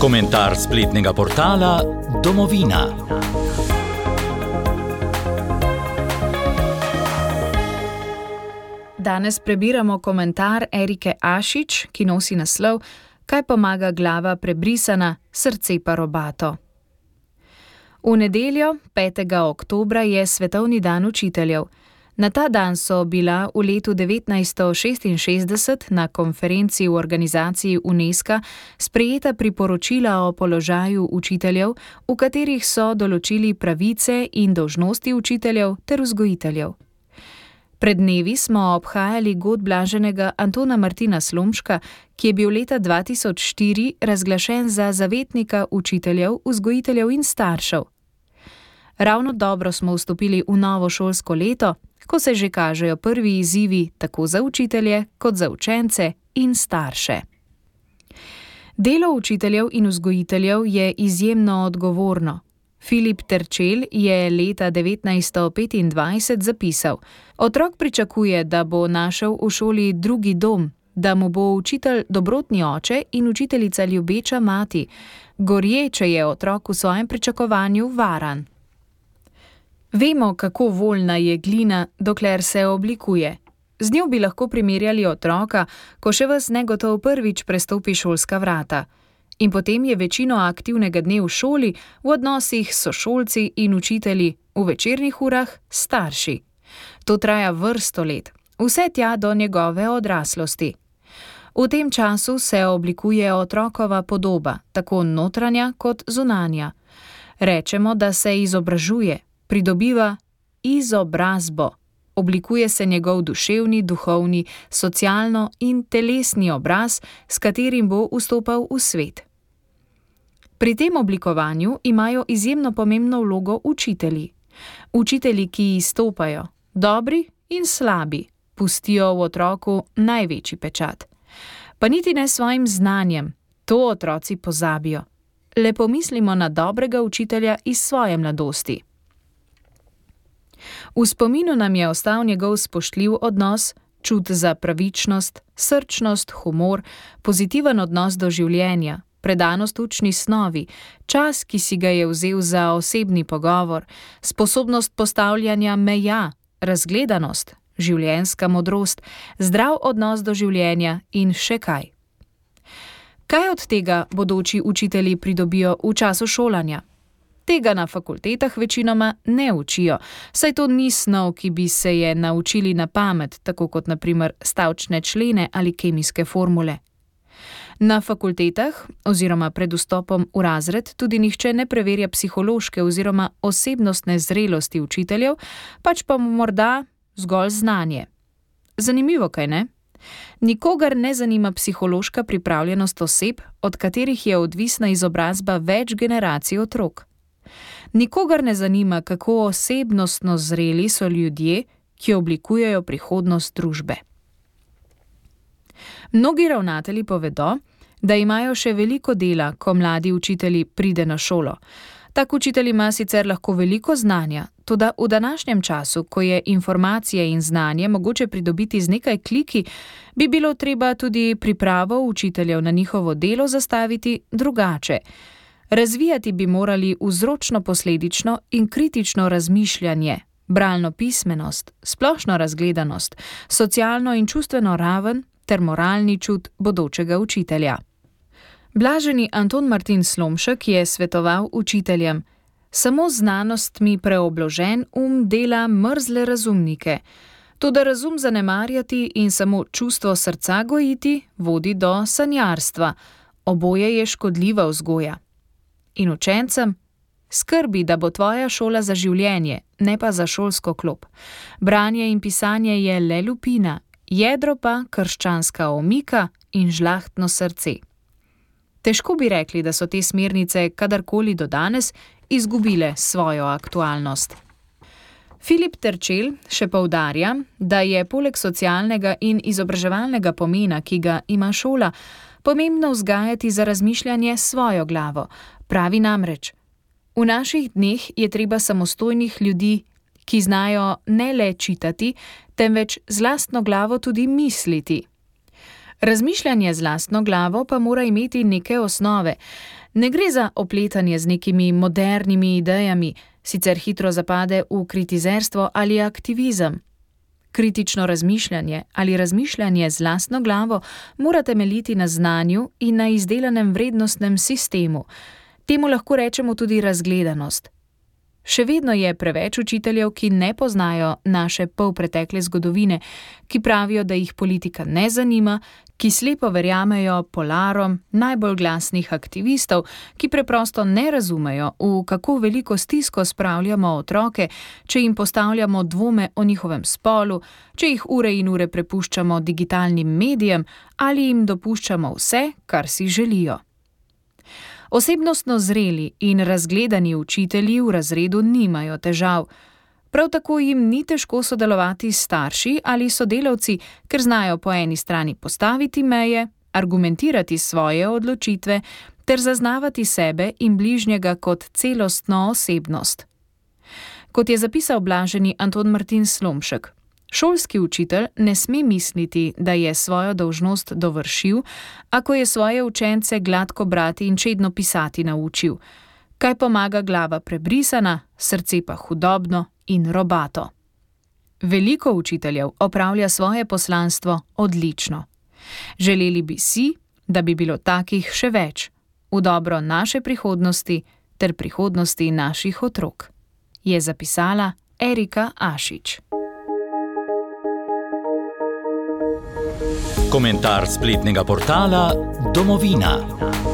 Komentar spletnega portala Domovina. Danes prebiramo komentar Erike Ašič, ki nosi naslov Kaj pomaga glava prebrisana, srce pa robato. V nedeljo, 5. oktobra, je Svetovni dan učiteljev. Na ta dan so bila v letu 1966 na konferenci v organizaciji UNESCO sprejeta priporočila o položaju učiteljev, v katerih so določili pravice in dolžnosti učiteljev ter vzgojiteljev. Pred dnevi smo obhajali god blaženega Antona Martina Slomška, ki je bil leta 2004 razglašen za zavetnika učiteljev, vzgojiteljev in staršev. Ravno dobro smo vstopili v novo šolsko leto, ko se že kažejo prvi izzivi tako za učitelje kot za učence in starše. Delo učiteljev in vzgojiteljev je izjemno odgovorno. Filip Terčelj je leta 1925 zapisal: Otrok pričakuje, da bo našel v šoli drugi dom, da mu bo učitelj dobrotni oče in učiteljica ljubeča mati. Gorje, če je otrok v svojem pričakovanju varan. Vemo, kako voljna je glina, dokler se oblikuje. Z njo bi lahko primerjali otroka, ko še ves negotov prvič prestopi šolska vrata. In potem je večino aktivnega dne v šoli, v odnosih s sošolci in učitelji, v večernih urah starši. To traja vrsto let, vse tja do njegove odraslosti. V tem času se oblikuje otrokova podoba, tako notranja kot zunanja. Rečemo, da se izobražuje, pridobiva izobrazbo. Oblikuje se njegov duševni, duhovni, socialno in telesni obraz, s katerim bo vstopal v svet. Pri tem oblikovanju imajo izjemno pomembno vlogo učitelji. Učitelji, ki izstopajo, dobri in slabi, pustijo v otroku največji pečat. Pa niti ne svojim znanjem, to otroci pozabijo. Le pomislimo na dobrega učitelja iz svoje mladosti. V spominu nam je ostal njegov spoštljiv odnos, čut za pravičnost, srčnost, humor, pozitiven odnos do življenja, predanost učni snovi, čas, ki si ga je vzel za osebni pogovor, sposobnost postavljanja meja, razgledanost, življenjska modrost, zdrav odnos do življenja in še kaj. Kaj od tega bodoči učitelji pridobijo v času šolanja? Tega na fakultetah večinoma ne učijo, saj to ni snov, ki bi se je naučili na pamet, tako kot na primer stavčne člene ali kemijske formule. Na fakultetah oziroma pred vstopom v razred tudi nihče ne preverja psihološke oziroma osebnostne zrelosti učiteljev, pač pa morda zgolj znanje. Zanimivo, kaj ne? Nikogar ne zanima psihološka pripravljenost oseb, od katerih je odvisna izobrazba več generacij otrok. Nikogar ne zanima, kako osebnostno zreli so ljudje, ki oblikujejo prihodnost družbe. Mnogi ravnatelji povedo, da imajo še veliko dela, ko mladi učitelji pride na šolo. Tak učitelj ima sicer lahko veliko znanja, toda v današnjem času, ko je informacije in znanje mogoče pridobiti z nekaj kliki, bi bilo treba tudi pripravo učiteljev na njihovo delo zastaviti drugače. Razvijati bi morali vzročno-posledično in kritično razmišljanje, bralno pismenost, splošno razgledanost, socialno in čustveno raven ter moralni čut bodočega učitelja. Blaženi Anton Martin Slomšek je svetoval učiteljem: Samo znanostmi preobložen dela mrzle razumnike. Toda razum zanemarjati in samo čustvo srca gojiti vodi do sanjarstva. Oboje je škodljiva vzgoja. In učencem: skrbi, da bo tvoja šola za življenje, ne pa za šolsko klop. Branje in pisanje je le lupina, jedro pa krščanska omika in žlahtno srce. Težko bi rekli, da so te smernice kadarkoli do danes izgubile svojo aktualnost. Filip Terčelj še poudarja, da je poleg socialnega in izobraževalnega pomena, ki ga ima šola, pomembno vzgajati za razmišljanje svojo glavo. Pravi namreč: v naših dneh je treba samostojnih ljudi, ki znajo ne le čitati, temveč z lastno glavo tudi misliti. Razmišljanje z lastno glavo pa mora imeti neke osnove. Ne gre za opletanje z nekimi modernimi idejami, sicer hitro zapade v kritizerstvo ali aktivizem. Kritično razmišljanje ali razmišljanje z lastno glavo mora temeljiti na znanju in na izdelanem vrednostnem sistemu. Temu lahko rečemo tudi razgledanost. Še vedno je preveč učiteljev, ki ne poznajo naše polpretekle zgodovine, ki pravijo, da jih politika ne zanima, ki slepo verjamejo polarom najbolj glasnih aktivistov, ki preprosto ne razumejo, v kako veliko stisko spravljamo otroke, če jim postavljamo dvome o njihovem spolu, če jih ure in ure prepuščamo digitalnim medijem ali jim dopuščamo vse, kar si želijo. Osebnostno zreli in razgledani učitelji v razredu nimajo težav. Prav tako jim ni težko sodelovati s starši ali sodelavci, ker znajo po eni strani postaviti meje, argumentirati svoje odločitve ter zaznavati sebe in bližnjega kot celostno osebnost. Kot je zapisal blaženi Anton Martin Slomšek, šolski učitelj ne sme misliti, da je svojo dolžnost dovršil, ako je svoje učence gladko brati in čedno pisati naučil. Kaj pomaga glava prebrisana, srce pa hudobno in robato. Veliko učiteljev opravlja svoje poslanstvo odlično. Želeli bi si, da bi bilo takih še več, v dobro naše prihodnosti ter prihodnosti naših otrok, je zapisala Erika Ašič. Komentar spletnega portala Domovina.